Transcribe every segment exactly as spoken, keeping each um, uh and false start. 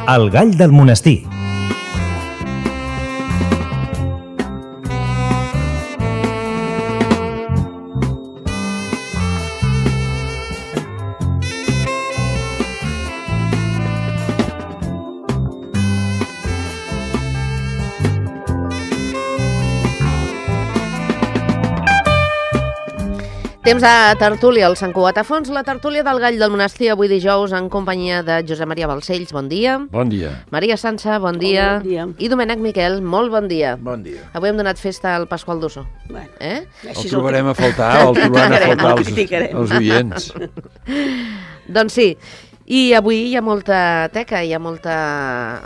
El gall del monestir. Temps de tertúlia al Sant Cugat a Fons, la tertúlia del Gall del Monestir, avui dijous, en companyia de Josep Maria Balcells, bon dia. Bon dia. Maria Sança, bon dia. Bon dia. I Domènec Miquel, molt bon dia. Bon dia. Avui hem donat festa al Pasqual d'Osso. Bueno, Eh? El trobarem a faltar, el trobaran a faltar els, els oients. Doncs sí, i avui hi ha molta teca, hi ha molta,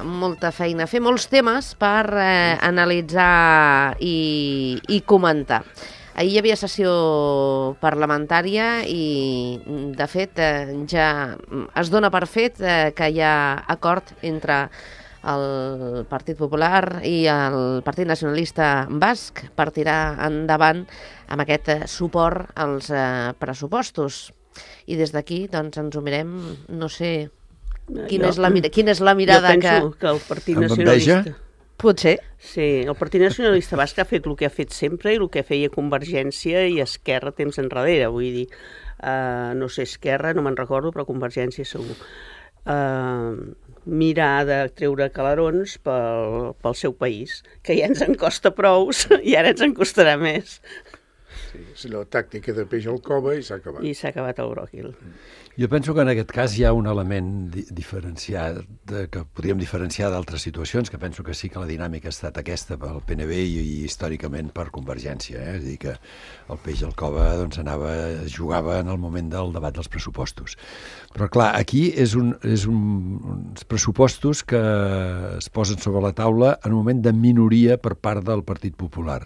molta feina a fer, molts temes per eh, analitzar i, i comentar. Ahir hi havia sessió parlamentària i, de fet, eh, ja es dona per fet eh, que hi ha acord entre el Partit Popular i el Partit Nacionalista Basc per tirar endavant amb aquest eh, suport als eh, pressupostos. I des d'aquí doncs, ens ho mirem, no sé, quina, jo, és, la, quina és la mirada jo que... penso que el Partit Amb enveja? Nacionalista... Potser. Sí, el Partit Nacionalista Basc ha fet el que ha fet sempre i el que feia Convergència i Esquerra temps enrere, vull dir, uh, no sé, Esquerra, no me'n recordo, però Convergència segur. Uh, mirar de treure calarons pel, pel seu país, que ja ens en costa prou i ara ens en costarà més. Sí, és la tàctica de peix al cova i s'ha acabat. I s'ha acabat el bròquil. Jo penso que en aquest cas hi ha un element di diferenciat, de, que podríem diferenciar d'altres situacions, que penso que sí que la dinàmica ha estat aquesta pel P N B i, i històricament per Convergència. Eh? És a dir, que el peix al cova doncs, anava, jugava en el moment del debat dels pressupostos. Però clar, aquí és, un, és un, uns pressupostos que es posen sobre la taula en un moment de minoria per part del Partit Popular.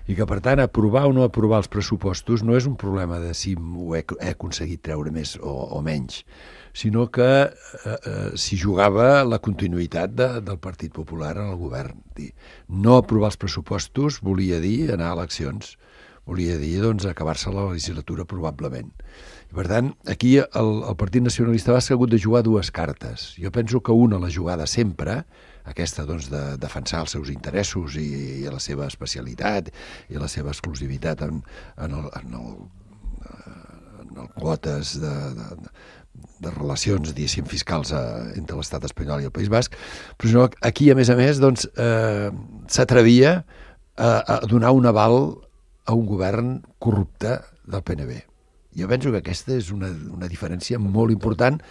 I que, per tant, aprovar o no aprovar els pressupostos no és un problema de si ho he, he aconseguit treure més o, o menys, sinó que eh, eh, s'hi jugava la continuïtat de, del Partit Popular en el govern. Dir, no aprovar els pressupostos volia dir anar a eleccions, volia dir doncs, acabar-se la legislatura probablement. I, per tant, aquí el, el Partit Nacionalista Basc ha hagut de jugar dues cartes. Jo penso que una, la jugada sempre, aquesta doncs, de defensar els seus interessos i, i la seva especialitat i la seva exclusivitat en, en, el, en, el, en el quotes de, de, de relacions, diguéssim, fiscals a, entre l'estat espanyol i el País Basc, però sinó, aquí, a més a més, doncs, eh, s'atrevia a, a donar un aval a un govern corrupte del P N B. Jo penso que aquesta és una, una diferència molt important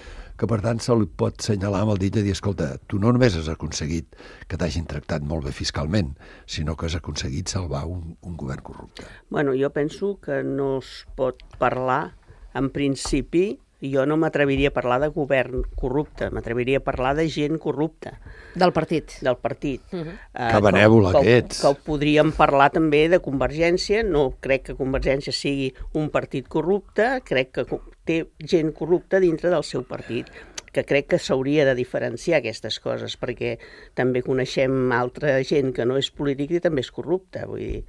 que per tant se li pot assenyalar amb el dit de dir, escolta, tu no només has aconseguit que t'hagin tractat molt bé fiscalment, sinó que has aconseguit salvar un, un govern corrupte. Bueno, jo penso que no es pot parlar, en principi, jo no m'atreviria a parlar de govern corrupte, m'atreviria a parlar de gent corrupta. Del partit. Del partit. Uh -huh. uh, Que benèvola que, que ets. Que ho podríem parlar també de Convergència, no crec que Convergència sigui un partit corrupte, crec que té gent corrupta dintre del seu partit, que crec que s'hauria de diferenciar aquestes coses, perquè també coneixem altra gent que no és política i també és corrupta, vull dir...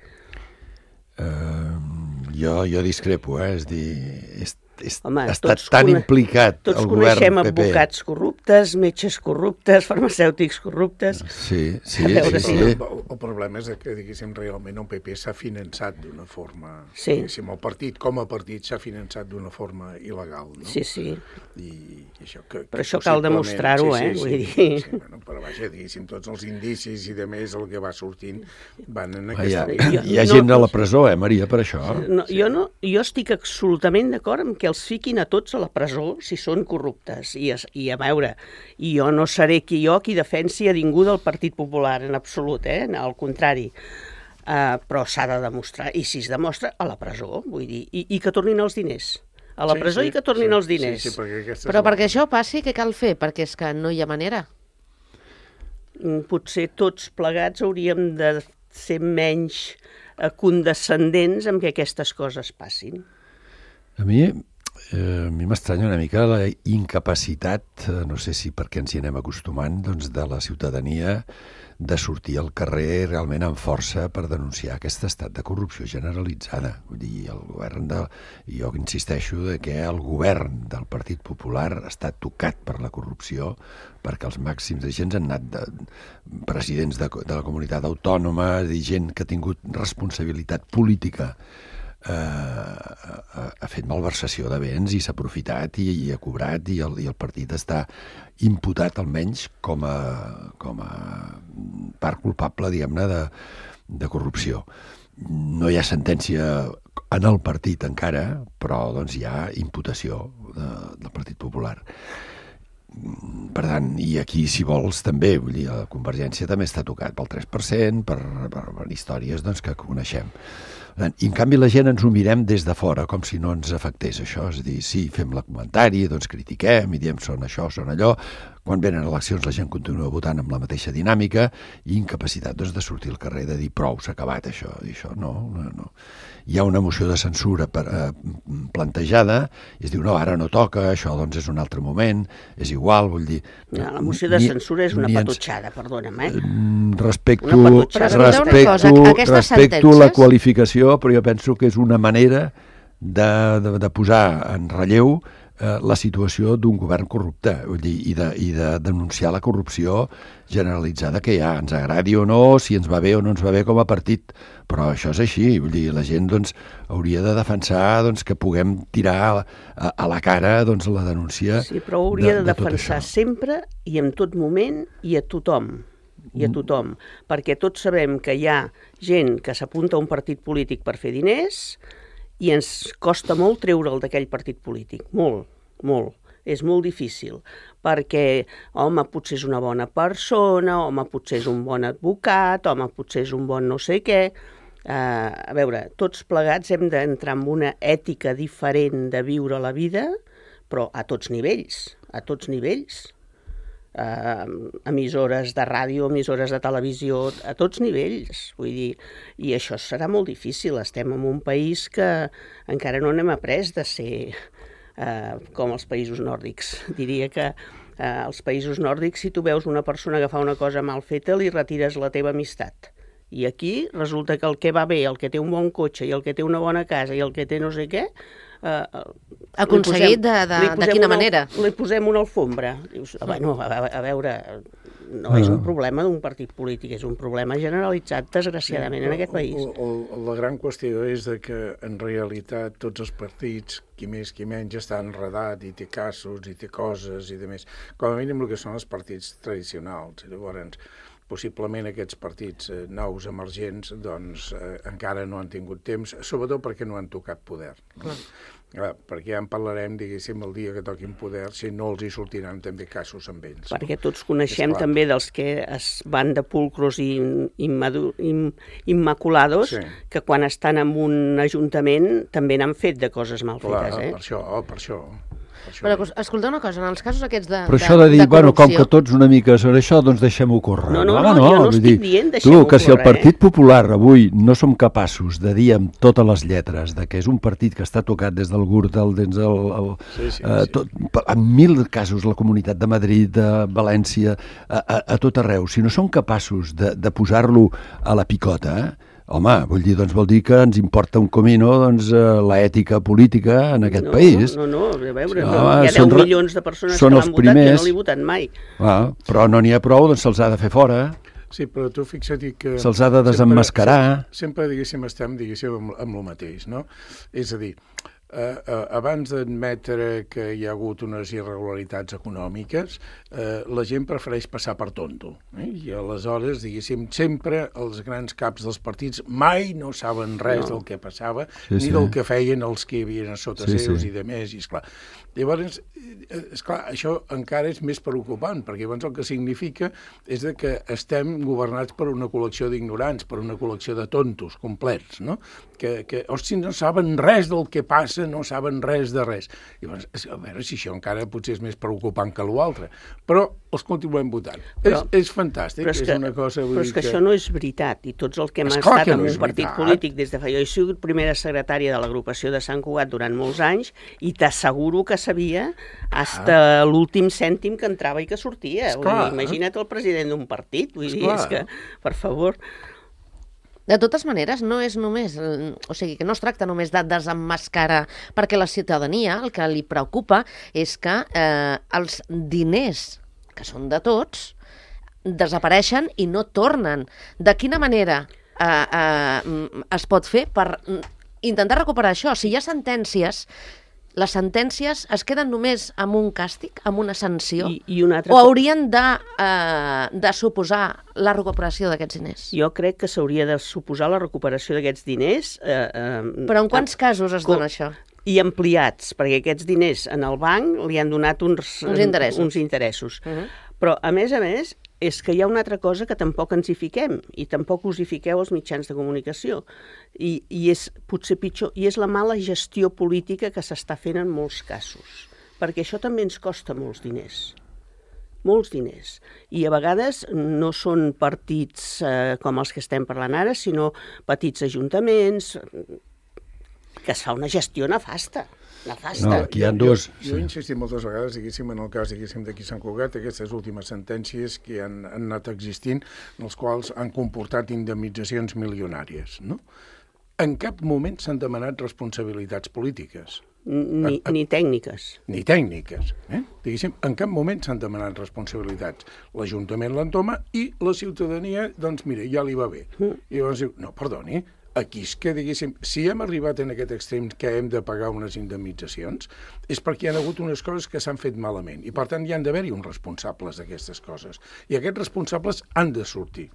Uh, jo, jo discrepo, eh? És dir, és és, Home, ha estat tan implicat el govern P P. Tots coneixem advocats corruptes, metges corruptes, farmacèutics corruptes... Sí, sí, A veure sí. si- sí. El, el problema és que, diguéssim, realment el P P s'ha finançat d'una forma... Sí. Diguéssim, el partit, com a partit, s'ha finançat d'una forma il·legal, no? Sí, sí. I, i això que, Però que això cal possiblement- demostrar-ho, sí, eh? sí, Vull sí, dir... Sí, bueno, però vaja, diguéssim, tots els indicis i de més el que va sortint van en Ah, aquesta hi, ha, línia. hi ha No, gent a no- la presó, eh, Maria, per això? No, jo, no, jo estic absolutament d'acord amb que els fiquin a tots a la presó si són corruptes. I, es, i a veure, i jo no seré qui jo qui defensi a ningú del Partit Popular, en absolut, eh? Al contrari. Uh, però s'ha de demostrar, i si es demostra, a la presó, vull dir, i, i que tornin els diners. A la Sí, presó sí, i que tornin sí, els diners. Sí, sí, perquè aquesta Però és la- perquè això passi, què cal fer? Perquè és que no hi ha manera. Mm, Potser tots plegats hauríem de ser menys eh, condescendents amb que aquestes coses passin. A mi eh, a mi m'estranya una mica la incapacitat, eh, no sé si perquè ens hi anem acostumant, doncs, de la ciutadania de sortir al carrer realment amb força per denunciar aquest estat de corrupció generalitzada. Vull dir, el govern de... Jo insisteixo de que el govern del Partit Popular està tocat per la corrupció, perquè els màxims agents han anat de presidents de, de la comunitat autònoma, de gent que ha tingut responsabilitat política, eh, ha, ha fet malversació de béns i s'ha aprofitat i, i ha cobrat, i el, i el partit està imputat almenys com a, com a part culpable, diguem-ne, de, de corrupció. No hi ha sentència en el partit encara, però doncs, hi ha imputació de, del Partit Popular. Per tant, i aquí, si vols, també, vull dir, la Convergència també està tocat pel tres per cent, per, per, per històries doncs, que coneixem. I, en canvi, la gent ens ho mirem des de fora, com si no ens afectés això. És a dir, sí, fem la comentari, doncs critiquem i diem són això, són allò. Quan venen eleccions la gent continua votant amb la mateixa dinàmica i incapacitat doncs, de sortir al carrer, de dir prou, s'ha acabat això. I això no, no, no. Hi ha una moció de censura per, eh, plantejada i es diu, no, ara no toca, això doncs és un altre moment, és igual, vull dir... No, la moció de censura és una patutxada, perdona'm, eh? Respecto, una patutxada. respecto, respecto la qualificació, però jo penso que és una manera de, de, de posar en relleu eh, la situació d'un govern corrupte, vull dir, i, de, i de denunciar la corrupció generalitzada que hi ha, ens agradi o no, si ens va bé o no ens va bé com a partit, però això és així, vull dir, la gent doncs, hauria de defensar doncs, que puguem tirar a, a la cara doncs, la denúncia. Sí, però hauria de, de, de defensar sempre i en tot moment i a tothom. i a tothom, perquè tots sabem que hi ha gent que s'apunta a un partit polític per fer diners i ens costa molt treure'l d'aquell partit polític, molt, molt. És molt difícil, perquè, home, potser és una bona persona, home, potser és un bon advocat, home, potser és un bon no sé què. Uh, a veure, tots plegats hem d'entrar en una ètica diferent de viure la vida, però a tots nivells, a tots nivells. Uh, emissores de ràdio, emissores de televisió, a tots nivells, vull dir, i això serà molt difícil. Estem en un país que encara no n'hem après de ser uh, com els països nòrdics. Diria que uh, als països nòrdics, si tu veus una persona que fa una cosa mal feta, li retires la teva amistat. I aquí resulta que el que va bé, el que té un bon cotxe i el que té una bona casa i el que té no sé què, Uh, aconseguit posem, de, de, de quina una, manera? Li posem una alfombra. Dius, bueno, a, a veure, no és un problema d'un partit polític, és un problema generalitzat, desgraciadament, sí, en aquest país. El, el, la gran qüestió és de que, en realitat, tots els partits, qui més, qui menys, està enredat i té casos i té coses i de més. Com a mínim el que són els partits tradicionals. I llavors, possiblement aquests partits eh, nous emergents doncs, eh, encara no han tingut temps, sobretot perquè no han tocat poder. No? Clar, perquè ja en parlarem, diguéssim, el dia que toquin poder, si no els hi sortiran també casos amb ells. Perquè tots coneixem també dels que es van de pulcros i immadu, im, immaculados, sí, que quan estan en un ajuntament també n'han fet de coses mal Clar, fetes. Eh? Per això, oh, per això. Però escolta una cosa, en els casos aquests de, Però això de, de dir, de bueno, com corrupció... que tots una mica sobre això, doncs deixem-ho córrer. No, no, no, no, jo no vull estic dir, dient deixem-ho tu, que córrer, si el Partit eh? Popular avui no som capaços de dir amb totes les lletres de que és un partit que està tocat des del Gürtel, des del... El, sí, sí, eh, tot, sí. En mil casos, la Comunitat de Madrid, de València, a, a, a tot arreu, si no som capaços de, de posar-lo a la picota, eh? Home, vull dir, doncs vol dir que ens importa un comino doncs, l'ètica política en aquest no, país. No, no, no, a veure, sí, no, hi ha deu milions de persones que l'han votat primers, que no l'hi votat mai. Ah, però no n'hi ha prou, doncs se'ls ha de fer fora. Sí, però tu fixa't que... Se'ls ha de desemmascarar. Sempre, sempre, diguéssim, estem, diguéssim, amb, amb el mateix, no? És a dir, eh, eh, abans d'admetre que hi ha hagut unes irregularitats econòmiques, eh, la gent prefereix passar per tonto. Eh? I aleshores, diguéssim, sempre els grans caps dels partits mai no saben res no. del que passava, sí, ni sí. del que feien els que hi havia a sota sí, seus sí. i de més, i esclar. Llavors, esclar, això encara és més preocupant, perquè llavors el que significa és de que estem governats per una col·lecció d'ignorants, per una col·lecció de tontos complets, no? Que, que hosti, no saben res del que passa defensa no saben res de res. I llavors, a veure si això encara potser és més preocupant que l'altre. Però els continuem votant. Però, és, és fantàstic, és, que, és una cosa... Però és que, que això no és veritat, i tots els que hem Esclar estat no en un partit veritat. polític des de fa... Jo he sigut primera secretària de l'agrupació de Sant Cugat durant molts anys i t'asseguro que sabia fins ah. l'últim cèntim que entrava i que sortia. Vull dir, imagina't el president d'un partit, vull dir, és que, per favor... De totes maneres, no és només, o sigui, que no es tracta només de desemmascarar, perquè la ciutadania el que li preocupa és que eh, els diners, que són de tots, desapareixen i no tornen. De quina manera eh, eh, es pot fer per intentar recuperar això? Si hi ha sentències, les sentències es queden només amb un càstig, amb una sanció? I, i una altra... O haurien de, eh, de suposar la recuperació d'aquests diners? Jo crec que s'hauria de suposar la recuperació d'aquests diners. Eh, eh, Però en quants eh, casos es dona això? I ampliats, perquè aquests diners en el banc li han donat uns, uns interessos. Uns interessos. Uh -huh. Però, a més a més, és que hi ha una altra cosa que tampoc ens hi fiquem, i tampoc us hi fiqueu els mitjans de comunicació, i, i és potser pitjor, i és la mala gestió política que s'està fent en molts casos, perquè això també ens costa molts diners, molts diners, i a vegades no són partits eh, com els que estem parlant ara, sinó petits ajuntaments, que es fa una gestió nefasta. Nefasta. No, aquí hi ha dos... Jo, jo he insistit moltes vegades, diguéssim, en el cas diguéssim d'aquí Sant Cugat, aquestes últimes sentències que han, han anat existint, en els quals han comportat indemnitzacions milionàries, no? En cap moment s'han demanat responsabilitats polítiques. Ni, a, a, ni tècniques. Ni tècniques. Eh? Diguéssim, en cap moment s'han demanat responsabilitats. L'Ajuntament l'entoma i la ciutadania, doncs mira, ja li va bé. Mm. I llavors diu, no, perdoni, aquí és que, diguéssim, si hem arribat en aquest extrem que hem de pagar unes indemnitzacions, és perquè hi ha hagut unes coses que s'han fet malament, i per tant hi han d'haver-hi uns responsables d'aquestes coses. I aquests responsables han de sortir.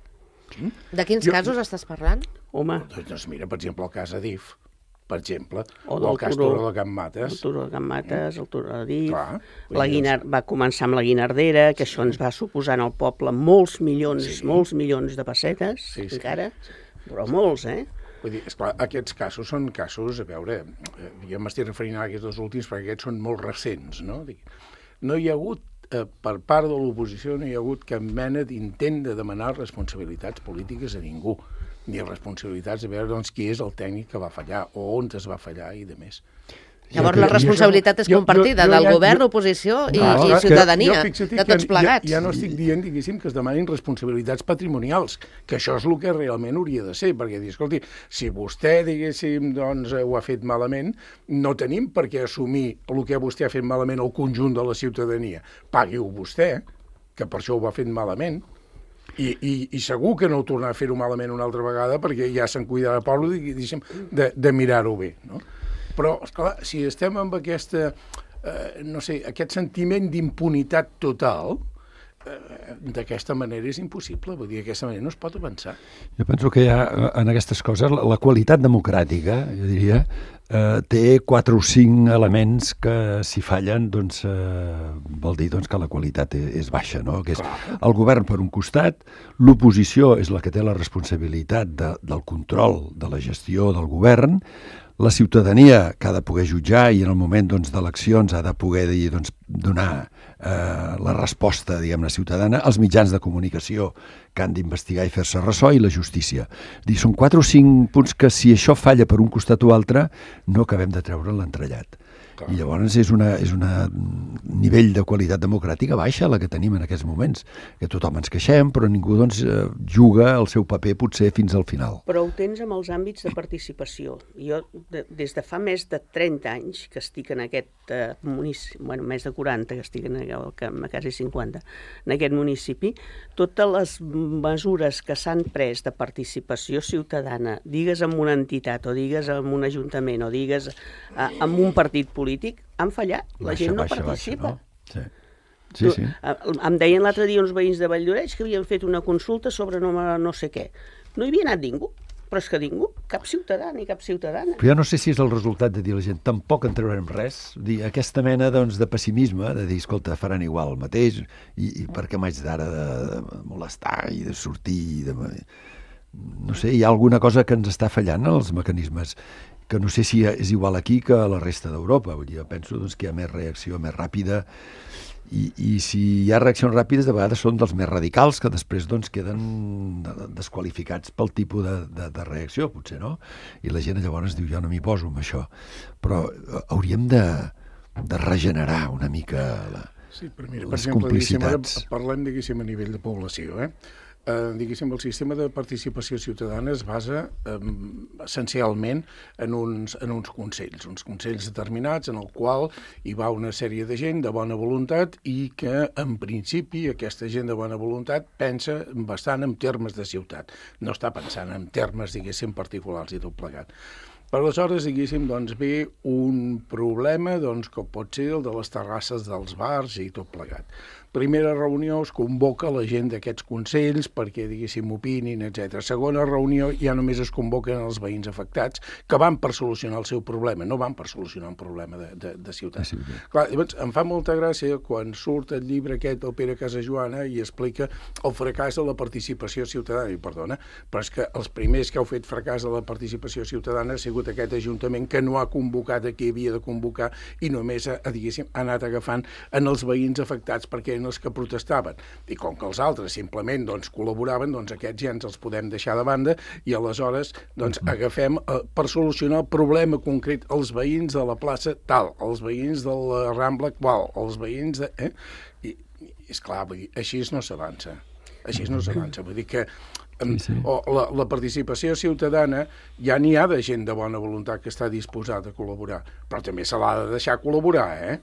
Mm? De quins jo, casos estàs parlant? Home. Doncs, doncs mira, per exemple, el cas Adif, per exemple, o, o el cas Turó de Can Mates. El Turó de Can Mates, el Turó de Adif, la Guinar... va començar amb la Guinardera, que això ens va suposar al poble molts milions, sí. molts milions de pessetes, sí, sí, encara, sí. però molts, eh? Vull dir, esclar, aquests casos són casos, a veure, jo m'estic referint a aquests dos últims perquè aquests són molt recents, no? No hi ha hagut, eh, per part de l'oposició, no hi ha hagut cap mena d'intent de demanar responsabilitats polítiques a ningú, ni responsabilitats de veure doncs, qui és el tècnic que va fallar o on es va fallar i de més. Llavors la responsabilitat és compartida jo, jo, jo, del govern, jo, oposició i, no, i ciutadania, jo, de tots plegats. Ja, ja no estic dient, diguéssim, que es demanin responsabilitats patrimonials, que això és el que realment hauria de ser, perquè dir, escolti, si vostè, diguéssim, doncs, ho ha fet malament, no tenim per què assumir el que vostè ha fet malament al conjunt de la ciutadania. Pagui-ho vostè, que per això ho va fet malament, I, i, i segur que no ho tornarà a fer-ho malament una altra vegada, perquè ja se'n cuidarà el poble, diguéssim, de, de mirar-ho bé, no? Però, esclar, si estem amb aquesta, eh, no sé, aquest sentiment d'impunitat total, eh, d'aquesta manera és impossible. Vull dir, d'aquesta manera no es pot avançar. Jo penso que hi ha, en aquestes coses, la, la qualitat democràtica, jo diria, eh, té quatre o cinc elements que, si fallen, doncs, eh, vol dir doncs, que la qualitat és baixa, no? Que és el govern per un costat, l'oposició és la que té la responsabilitat de, del control de la gestió del govern, la ciutadania que ha de poder jutjar i en el moment doncs, d'eleccions ha de poder dir, doncs, donar eh, la resposta, diguem-ne, ciutadana, els mitjans de comunicació que han d'investigar i fer-se ressò i la justícia. Dir, són quatre o cinc punts que si això falla per un costat o altre no acabem de treure l'entrellat. Clar. I llavors és una, és una nivell de qualitat democràtica baixa la que tenim en aquests moments, que tothom ens queixem, però ningú doncs, juga el seu paper potser fins al final. Però ho tens amb els àmbits de participació. Jo, de, des de fa més de trenta anys que estic en aquest eh, municipi, bueno, més de quaranta que estic en el que a quasi cinquanta, en aquest municipi, totes les mesures que s'han pres de participació ciutadana, digues amb una entitat o digues amb un ajuntament o digues eh, amb un partit polític, polític, han fallat. La baixa, gent no baixa, participa. Baixa, no? Sí. Sí, sí. Em deien l'altre dia uns veïns de Valldoreix que havien fet una consulta sobre no, no sé què. No hi havia anat ningú, però és que ningú, cap ciutadà ni cap ciutadana. Però jo no sé si és el resultat de dir a la gent tampoc en traurem res, dir aquesta mena doncs, de pessimisme, de dir, escolta, faran igual el mateix, i, i per què m'haig d'ara de, de molestar i de sortir, de... no sé, hi ha alguna cosa que ens està fallant en els mecanismes. que no sé si és igual aquí que a la resta d'Europa. Vull dir, jo penso doncs, que hi ha més reacció, més ràpida, i, i si hi ha reaccions ràpides, de vegades són dels més radicals, que després doncs, queden desqualificats pel tipus de, de, de reacció, potser, no? I la gent llavors diu, jo no m'hi poso amb això. Però hauríem de, de regenerar una mica la, sí, però mira, les per exemple, complicitats. Ara parlem, diguéssim, a nivell de població, eh? Eh, diguéssim, el sistema de participació ciutadana es basa eh, essencialment en uns, en uns consells, uns consells determinats en el qual hi va una sèrie de gent de bona voluntat i que, en principi, aquesta gent de bona voluntat pensa bastant en termes de ciutat. No està pensant en termes, diguéssim, particulars i tot plegat. Per aleshores, diguéssim, doncs, ve un problema doncs, que pot ser el de les terrasses dels bars i tot plegat. Primera reunió es convoca la gent d'aquests consells perquè, diguéssim, opinin, etcètera. Segona reunió ja només es convoquen els veïns afectats que van per solucionar el seu problema, no van per solucionar un problema de, de, de ciutat. Sí, sí. Clar, llavors, em fa molta gràcia quan surt el llibre aquest del Pere Casajoana i explica el fracàs de la participació ciutadana. I perdona, però és que els primers que heu fet fracàs de la participació ciutadana ha sigut aquest Ajuntament que no ha convocat a qui havia de convocar i només ha, diguéssim, ha anat agafant en els veïns afectats perquè eren els que protestaven. I com que els altres simplement doncs, col·laboraven, doncs aquests ja ens els podem deixar de banda i aleshores doncs, agafem eh, per solucionar el problema concret els veïns de la plaça tal, els veïns de la Rambla qual, els veïns de... Eh? I, i esclar, vull dir, així no s'avança. Així no s'avança. Vull dir que Sí, sí. O la, la participació ciutadana ja n'hi ha de gent de bona voluntat que està disposada a col·laborar, però també se l'ha de deixar col·laborar, eh?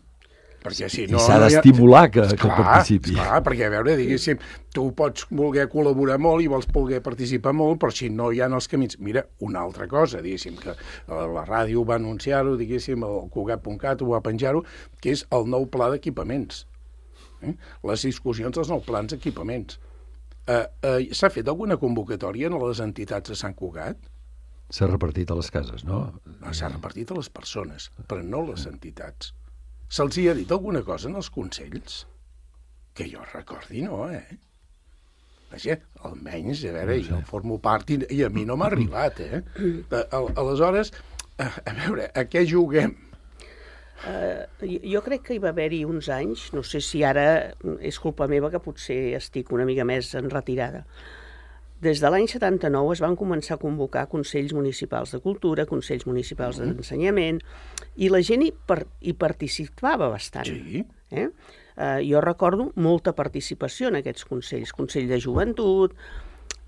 Perquè si no, I s'ha d'estimular que, esclar, que participi. Esclar, perquè, a veure, diguéssim, tu pots voler col·laborar molt i vols voler participar molt, però si no hi ha els camins... Mira, una altra cosa, diguéssim, que la ràdio va anunciar-ho, diguéssim, el Cugat punt cat ho va penjar-ho, que és el nou pla d'equipaments. Eh? Les discussions dels nous plans d'equipaments. Uh, uh, S'ha fet alguna convocatòria a les entitats de Sant Cugat? S'ha repartit a les cases, no? S'ha repartit a les persones, però no a les entitats. Se'ls hi ha dit alguna cosa en els consells? Que jo recordi, no, eh? Vaja, almenys, a veure, jo formo part i, i a mi no m'ha arribat, eh? Aleshores, a veure, a què juguem? Uh, jo crec que hi va haver-hi uns anys, no sé si ara és culpa meva que potser estic una mica més en retirada. Des de l'any setanta-nou es van començar a convocar consells municipals de cultura, consells municipals mm. d'ensenyament, i la gent hi, per, hi participava bastant. Sí. Eh? Uh, jo recordo molta participació en aquests consells, consell de joventut.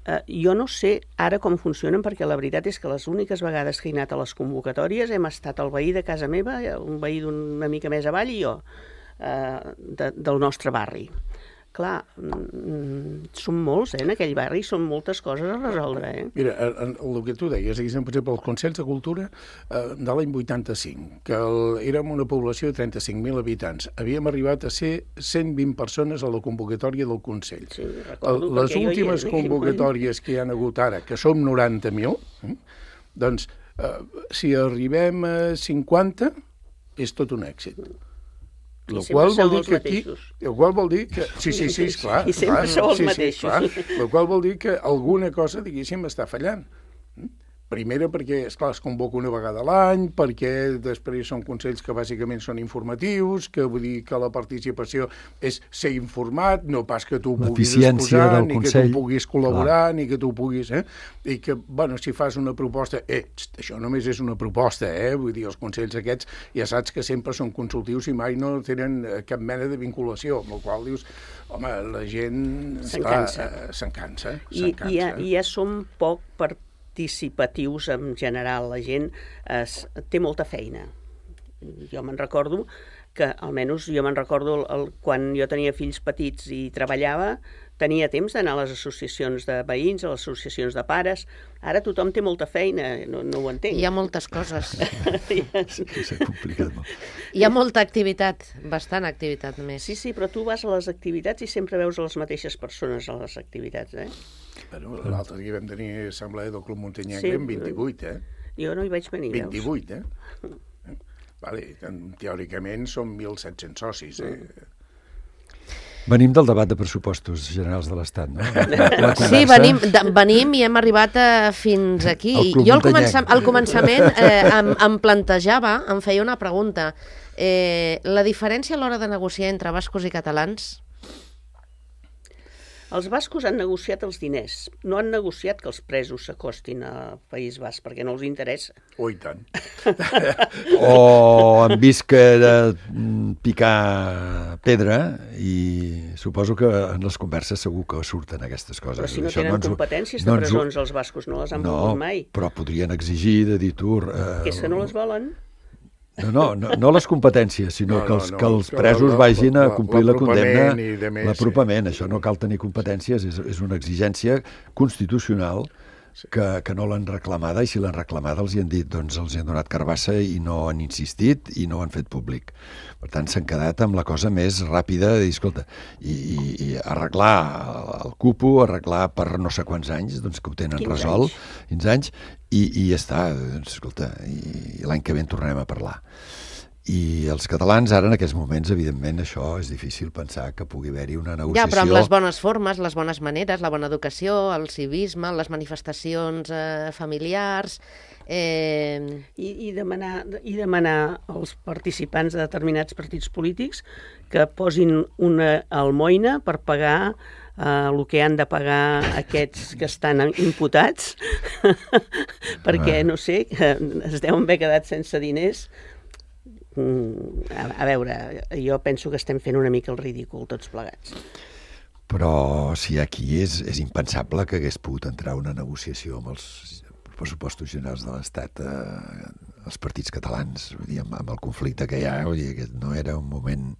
Uh, jo no sé ara com funcionen, perquè la veritat és que les úniques vegades que he anat a les convocatòries hem estat el veí de casa meva, un veí d'una mica més avall i jo, uh, de, del nostre barri. Clar, mm, són molts, eh, en aquell barri, són moltes coses a resoldre, eh? Mira, el, el que tu deies, per exemple, els Consells de Cultura eh, de l'any vuitanta-cinc, que el, érem una població de trenta-cinc mil habitants, havíem arribat a ser cent vint persones a la convocatòria del Consell. Sí, recordo, el, les últimes convocatòries que hi han hagut ara, que som noranta mil, eh, doncs, eh, si arribem a cinquanta, és tot un èxit. I el qual vol dir que aquí, mateixos. el qual vol dir que sí, sí, sí, esclar, I sempre clar, sou els sí, mateixos. Sí, clar, el qual vol dir que alguna cosa, diguéssim, està fallant. Primera perquè, esclar, es convoca una vegada a l'any, perquè després són consells que bàsicament són informatius, que vull dir que la participació és ser informat, no pas que tu puguis exposar, ni que tu puguis col·laborar, clar. Ni que tu puguis... Eh? I que, bueno, si fas una proposta... Eh, això només és una proposta, eh? Vull dir, els consells aquests ja saps que sempre són consultius i mai no tenen cap mena de vinculació, amb el qual dius, home, la gent... Se'n cansa. Se'n cansa. I, i, ja, I ja som poc per participatius en general, la gent es, té molta feina. Jo me'n recordo que, almenys jo me'n recordo el, el, quan jo tenia fills petits i treballava, tenia temps d'anar a les associacions de veïns, a les associacions de pares. Ara tothom té molta feina, no, no ho entenc. Hi ha moltes coses. Sí, s'ha complicat molt. Hi ha molta activitat, bastant activitat més. Sí, sí, però tu vas a les activitats i sempre veus a les mateixes persones a les activitats, eh? Bueno, l'altre dia vam tenir assemblea del Club Muntanyenc sí, en vint-i-vuit, eh? Jo no hi vaig venir, veus? vint-i-vuit, eh? Vale, teòricament són mil set-cents socis, eh? Venim del debat de pressupostos generals de l'Estat, no? La Sí, venim, de, venim i hem arribat a, fins aquí. El Club Jo al, Muntanyenc. comença, al començament eh, em, em plantejava, em feia una pregunta. Eh, la diferència a l'hora de negociar entre bascos i catalans? Els bascos han negociat els diners, no han negociat que els presos s'acostin al País Basc, perquè no els interessa. Oh, i tant. O han vist que era mm, picar pedra i suposo que en les converses segur que surten aquestes coses. Però si no Això tenen ens ho- competències no de ens ho- presons, els bascos no les han No, volgut mai. però podrien exigir de dir tu... Eh, Que és que no les volen. No, no, no, no les competències, sinó No, que no, els, no, que els que presos la- vagin a la- complir la condemna, l'apropament i de més, l'apropament. Això no cal tenir competències, és, és una exigència constitucional que, que no l'han reclamada, i si l'han reclamada els hi han dit, doncs els hi han donat carbassa i no han insistit i no ho han fet públic. Per tant, s'han quedat amb la cosa més ràpida de dir, escolta, i, i, i arreglar el cupo, arreglar per no sé quants anys, doncs que ho tenen quinze resolt, anys. quinze anys, i, i ja està, doncs, escolta, i, i l'any que ve en tornem a parlar. I els catalans ara en aquests moments, evidentment, això és difícil pensar que pugui haver-hi una Ja, negociació. però amb les bones formes, les bones maneres, la bona educació, el civisme, les manifestacions eh, familiars... Eh, I, i, demanar, I demanar als participants de determinats partits polítics que posin una almoina per pagar eh, el que han de pagar aquests que estan imputats, perquè, no sé, que es deuen haver quedat sense diners. Mm, a, a veure, jo penso que estem fent una mica el ridícul tots plegats. Però si aquí és, és impensable que hagués pogut entrar una negociació amb els pressupostos generals de l'Estat eh, els partits catalans, vull dir, amb, amb el conflicte que hi ha, vull dir, que no era un moment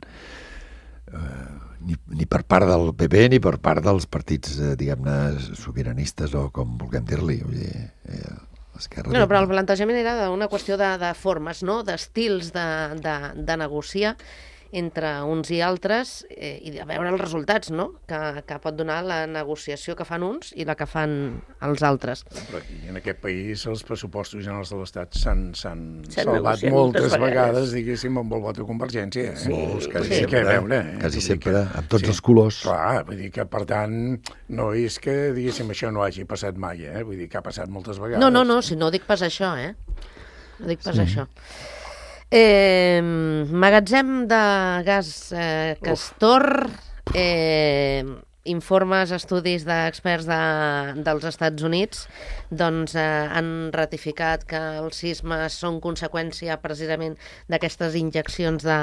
eh, ni, ni per part del P P ni per part dels partits, eh, diguem-ne, sobiranistes o com vulguem dir-li, vull dir, eh, l'esquerra... no, no, però el plantejament era d'una qüestió de, de formes, no? D'estils de, de, de negociar entre uns i altres eh, i de veure els resultats, no? Que, que pot donar la negociació que fan uns i la que fan els altres. Però aquí, en aquest país, els pressupostos generals de l'Estat s'han S'han salvat negociat moltes moltes vegades, vegades, diguéssim, amb el vot de Convergència. Eh? Sí, Molts, quasi sí. sempre, Que a veure, eh? quasi Vull dir sempre, que- amb tots sí. els colors. Clar, vull dir que, per tant, no és que, diguéssim, això no hagi passat mai, eh? Vull dir que ha passat moltes vegades. No, no, no, si no dic pas això, eh? No dic pas sí. això. Eh, magatzem de gas eh, Castor, eh, informes, estudis d'experts de, dels Estats Units doncs, eh, han ratificat que els sismes són conseqüència precisament d'aquestes injeccions de,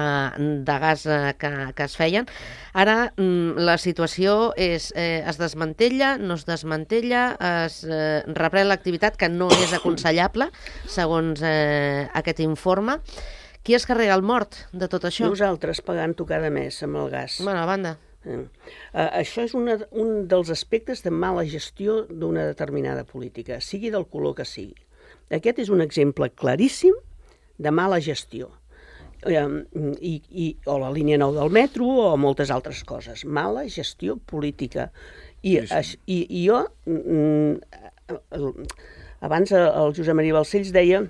de gas eh, que, que es feien. Ara mm, la situació és, eh, es desmantella, no es desmantella, es eh, reprèn l'activitat, que no és aconsellable, segons eh, aquest informe. Qui es carrega el mort de tot això? Nosaltres pagant-ho cada mes amb el gas. Bueno, a banda. Eh, uh, això és una, un dels aspectes de mala gestió d'una determinada política, sigui del color que sigui. Aquest és un exemple claríssim de mala gestió. Eh, i, i, o la línia nou del metro o moltes altres coses. Mala gestió política. I, Sí, sí. i, i jo, mm, abans el Josep Maria Balcells deia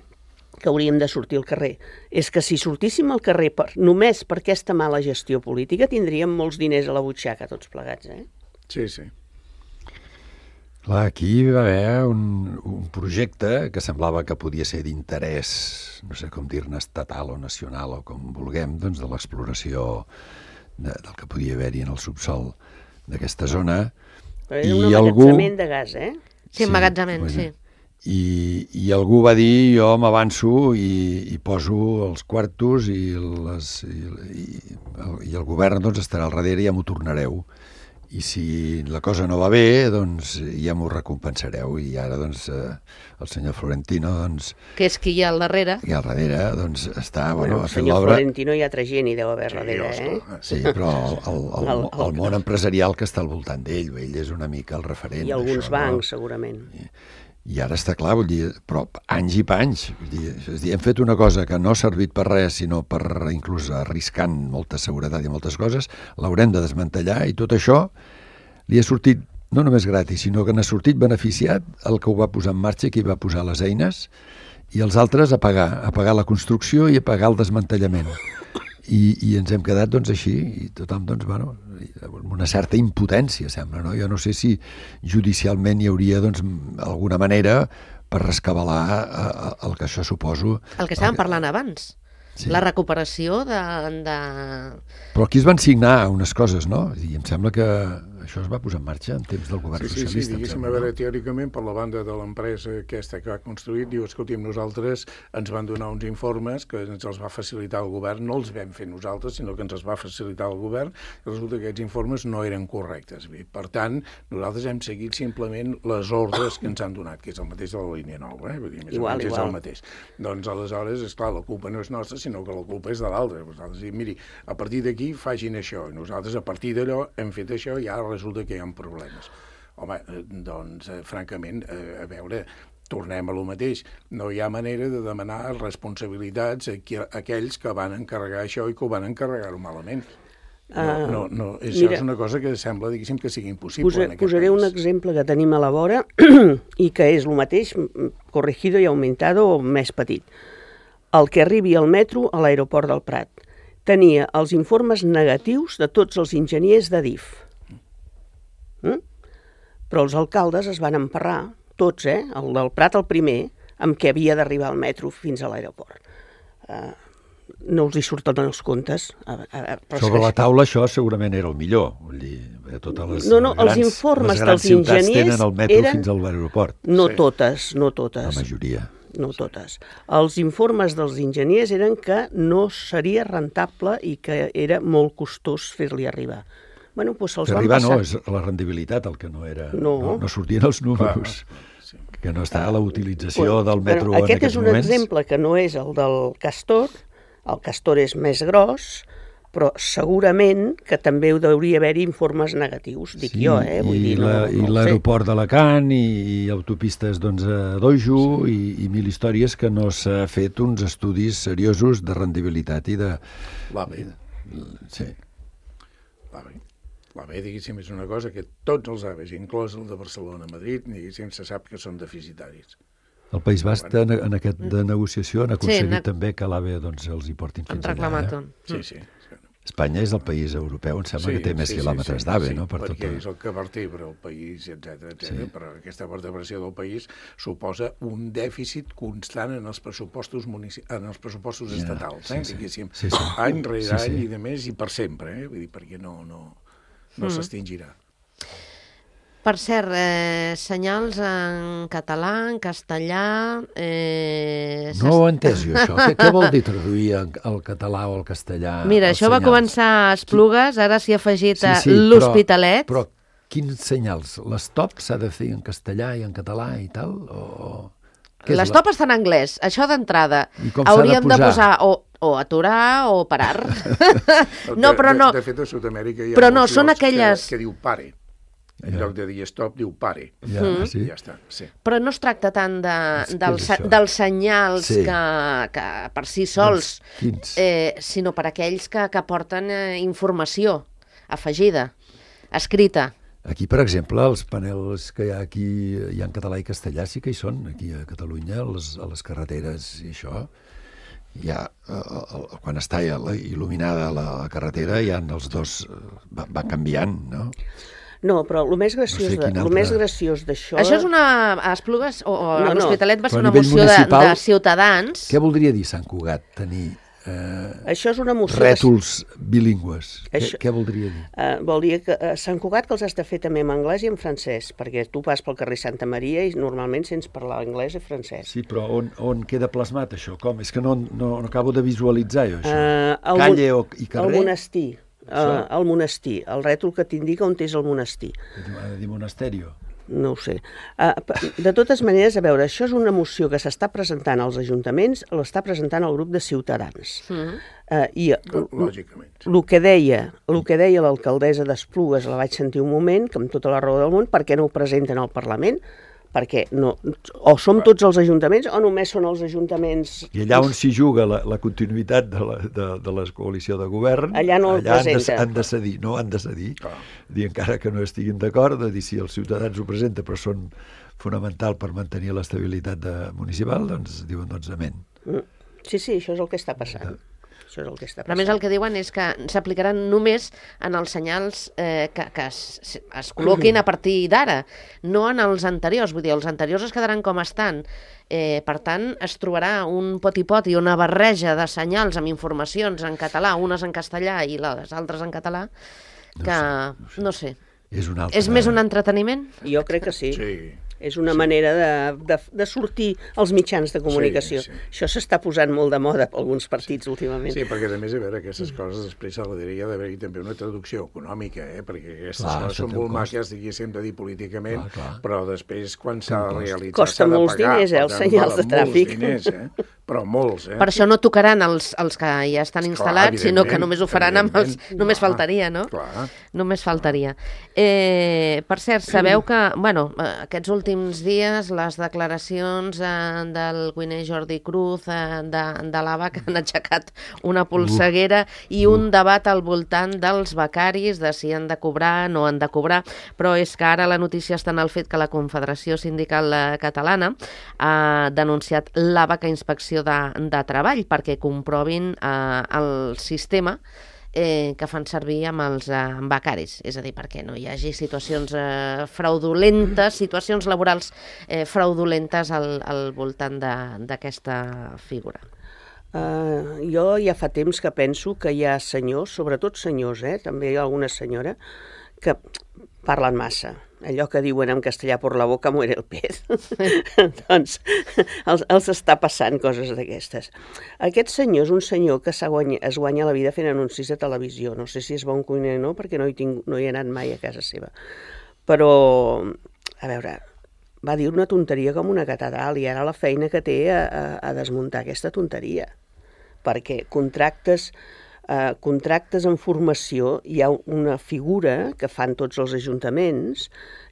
que hauríem de sortir al carrer. És que si sortíssim al carrer per, només per aquesta mala gestió política tindríem molts diners a la butxaca tots plegats, eh? Sí, sí. Clar, aquí va haver un, un projecte que semblava que podia ser d'interès, no sé com dir-ne, estatal o nacional o com vulguem, doncs de l'exploració de, del que podia haver-hi en el subsol d'aquesta zona. Però era un emmagatzement de gas, eh? Sí, emmagatzament, bueno, sí. I, i algú va dir, jo m'avanço i, i poso els quartos i, les, i, i, el, i el govern doncs, estarà al darrere i ja m'ho tornareu. I si la cosa no va bé, doncs ja m'ho recompensareu. I ara doncs, eh, el senyor Florentino, doncs, Que és qui hi ha al darrere. i al darrere doncs, està bueno, Bueno, el fent senyor l'obra. Florentino hi ha altra gent, hi deu haver Sí, darrere, eh? esclar. Sí, però el, el, el, El- el- el món empresarial que està al voltant d'ell, ell és una mica el referent. I alguns d'això, bancs, no? segurament. I ara està clar, vull dir, però anys i panys. Vull dir, és dir, hem fet una cosa que no ha servit per res, sinó per inclús arriscant molta seguretat i moltes coses, l'haurem de desmantellar i tot això li ha sortit no només gratis, sinó que n'ha sortit beneficiat el que ho va posar en marxa, qui va posar les eines, i els altres a pagar, a pagar la construcció i a pagar el desmantellament. I, i ens hem quedat doncs així i tothom doncs, bueno, amb una certa impotència sembla, no? Jo no sé si judicialment hi hauria doncs alguna manera per rescabalar eh, el que això suposo. El que estàvem parlant abans. Sí. La recuperació de, de... Però aquí es van signar unes coses, no? I em sembla que això es va posar en marxa en temps del govern sí, sí, socialista. Sí, diguéssim, sembla, a veure, no? teòricament, per la banda de l'empresa aquesta que ha construït, diu, escolti'm, nosaltres ens van donar uns informes que ens els va facilitar el govern, no els vam fer nosaltres, sinó que ens els va facilitar el govern, i resulta que aquests informes no eren correctes. Bé, per tant, nosaltres hem seguit simplement les ordres que ens han donat, que és el mateix de la línia nou, eh? Vull dir, més igual, o menys igual. és el mateix. Doncs, aleshores, esclar, la culpa no és nostra, sinó que la culpa és de l'altre. Nosaltres diem, miri, a partir d'aquí facin això, i nosaltres a partir d'allò hem fet això i ara resulta que hi ha un problema. Home, doncs, eh, francament, eh, a veure, tornem a lo mateix. No hi ha manera de demanar responsabilitats a, qui, a aquells que van encarregar això i que ho van encarregar-ho malament. No, no, no, això mira, és una cosa que sembla, diguéssim, que sigui impossible posa, en aquest posaré país. un exemple que tenim a la vora i que és el mateix, corregido i aumentado o més petit. El que arribi al metro a l'aeroport del Prat tenia els informes negatius de tots els enginyers d'Adif. Mm? Però els alcaldes es van emparrar, tots, eh? El del Prat el primer, amb què havia d'arribar el metro fins a l'aeroport. Uh, no els hi surten els comptes. A, a, a, Sobre la taula això segurament era el millor. Vull dir, totes les no, no, grans, els informes les grans dels ciutats enginyers tenen el metro eren... fins a l'aeroport. No Sí. totes, no totes. La majoria. No totes. Els informes dels enginyers eren que no seria rentable i que era molt costós fer-li arribar. Bueno, doncs se'ls Per van arribar passar. no, és la rendibilitat el que no era... No. No, no sortien els números. Sí. Que no està la utilització Bueno, del metro bueno, en aquest aquests és un moments. exemple que no és el del Castor. El Castor és més gros, però segurament que també hauria d'haver-hi informes negatius, dic jo, eh? Vull i dir, no, la- no, i ho sé. l'aeroport d'Alacant i, i autopistes doncs, a Dojo sí. i, i mil històries que no s'ha fet uns estudis seriosos de rendibilitat i de... L'AVE. Sí. L'AVE. L'AVE, diguéssim, és una cosa que tots els AVEs, inclòs el de Barcelona-Madrid, diguéssim, se sap que són deficitaris. El País Basc en, en aquest de negociació han aconseguit Sí, n'ha- també que l'AVE doncs, els hi portin Han fins allà. reclamat Eh? un. Sí, sí. Espanya és el país europeu, em sembla que té més quilòmetres d'AVE, sí, no? Per perquè tot és el que vertebra el país, etcètera, etcètera. Sí. Però aquesta vertebració del país suposa un dèficit constant en els pressupostos munici... en els pressupostos Ja, estatals, sí, eh? sí. Diguéssim, Sí, sí. any rere Sí, sí. any i de més i per sempre, eh? Vull dir, perquè no, no, no Mm. s'extingirà. Per cert, eh, senyals en català, en castellà... Eh, No ho he entès jo, això. Què, què vol dir traduir en- al català o al castellà? Mira, els això va senyals? començar a Esplugues, ara s'hi ha afegit Sí, a sí, però- l'Hospitalet. Però, quins senyals? L'estop s'ha de fer en castellà i en català i tal? O... què és L'estop està en anglès, això d'entrada. I com s'ha de Hauríem de posar? posar o, o aturar o parar. no, De- però de, no. De, fet, a Sud-amèrica hi ha Però no, molts són llocs aquelles- Que, que diu pare. En Ja. lloc de dir stop, diu pare. Ja, Mm. sí? Ja està, sí. Però no es tracta tant de, Què dels, és això? dels senyals Sí. que, que per si sols, Quins? eh, sinó per aquells que, que porten eh, informació afegida, escrita. Aquí, per exemple, els panels que hi ha aquí, hi ha en català i castellà, sí que hi són, aquí a Catalunya, a les, a les carreteres i això. Hi ha, eh, el, quan està il·luminada la carretera, hi ha els dos, eh, va, va canviant, no? No, però el més graciós, No sé de, quin el altre- més graciós d'això... Això és una... A Esplugues o, o No, a no. l'Hospitalet va Però ser a una nivell moció de, municipal, de Ciutadans. Què voldria dir Sant Cugat, tenir eh, Això és una moció... rètols bilingües? Això- Què, què voldria dir? Uh, vol dir que a Sant Cugat que els has de fer també en anglès i en francès, perquè tu vas pel carrer Santa Maria i normalment sents parlar anglès i francès. Sí, però on, on queda plasmat això? Com? És que no, no, no acabo de visualitzar jo això. Uh, el, Calle mon- o, i carrer? El monestir. Això? Uh, el monestir, el rètol que t'indica on és el monestir. Ha de dir monasterio. No ho sé. Uh, de totes maneres, a veure, això és una moció que s'està presentant als ajuntaments, l'està presentant el grup de Ciutadans. Mm. Uh, I Lògicament. el que deia, el que deia l'alcaldessa d'Esplugues, la vaig sentir un moment, que amb tota la raó del món, per què no ho presenten al Parlament? Perquè no, o som tots els ajuntaments o només són els ajuntaments... I allà on s'hi juga la, la continuïtat de la, de, de la coalició de govern, Allà no el allà han de, presenta. han de cedir, no han de cedir, Clar. dir encara que no estiguin d'acord, de dir si els ciutadans ho presenten, però són fonamental per mantenir l'estabilitat de, municipal, doncs diuen doncs amén. Mm. Sí, sí, això és el que està passant. Això és el que està Però a més el que diuen és que s'aplicaran només en els senyals eh, que, que es, es col·loquin a partir d'ara, no en els anteriors. Vull dir, els anteriors es quedaran com estan. Eh, per tant, es trobarà un poti-poti, una barreja de senyals amb informacions en català, unes en castellà i les altres en català, que no sé. És, un altre... és més un entreteniment? Jo crec que sí. Sí. És una sí. manera de, de, de sortir als mitjans de comunicació. Sí, sí. Això s'està posant molt de moda per alguns partits sí. últimament. Sí, perquè a més, a veure, aquestes coses després hauria d'haver-hi també una traducció econòmica, eh? Perquè aquestes clar, coses són molt maques, diguéssim, de dir políticament, clar, clar. Però després, quan s'ha de realitzar, costa molts pagar, diners, eh, els senyals de tràfic. Diners, eh? Però molts, eh? Per això no tocaran els, els que ja estan instal·lats, clar, sinó que només ho faran amb els... Només clar, faltaria, no? Clar. Només faltaria. Eh, per cert, sabeu que, bueno, aquests últims dies les declaracions eh, del Güiner Jordi Cruz, eh, de, de l'A B A, que han aixecat una polseguera uh, i un uh. debat al voltant dels becaris, de si han de cobrar, no han de cobrar, però és que ara la notícia està en el fet que la Confederació Sindical Catalana ha denunciat l'A B A a Inspecció de, de Treball perquè comprovin eh, el sistema Eh, que fan servir amb els eh, becaris, és a dir, perquè no hi hagi situacions eh, fraudulentes, situacions laborals eh, fraudulentes al, al voltant d'aquesta figura. Uh, jo ja fa temps que penso que hi ha senyors, sobretot senyors, eh, també hi ha alguna senyora, que parlen massa. Allò que diuen en castellà, por la boca muere el pez. Doncs els, els està passant coses d'aquestes. Aquest senyor és un senyor que guanya, es guanya la vida fent anuncis de televisió. No sé si és bon cuiner o no, perquè no hi, tinc, no hi he anat mai a casa seva. Però, a veure, va dir una tonteria com una catedral i ara la feina que té a, a, a desmuntar aquesta tonteria. Perquè contractes... Uh, contractes en formació, hi ha una figura que fan tots els ajuntaments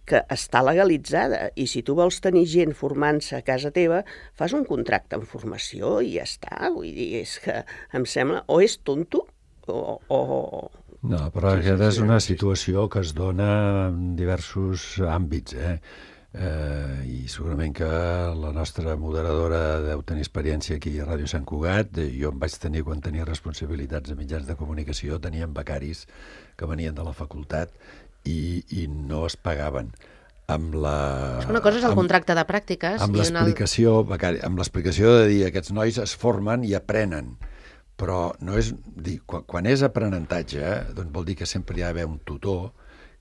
que està legalitzada i si tu vols tenir gent formant-se a casa teva, fas un contracte en formació i ja està. Vull dir, és que em sembla o és tonto o... o... No, però sí, aquesta sí, és una situació que es dona en diversos àmbits, eh? Eh, i segurament que la nostra moderadora deu tenir experiència aquí a Ràdio Sant Cugat. Jo em vaig tenir, quan tenia responsabilitats de mitjans de comunicació, teníem becaris que venien de la facultat i, i no es pagaven. Amb la... Una cosa és el amb, contracte de pràctiques. Amb l'explicació el... becari, amb l'explicació de dir aquests nois es formen i aprenen. Però no és, dir, quan, quan és aprenentatge, eh, doncs vol dir que sempre hi ha d'haver un tutor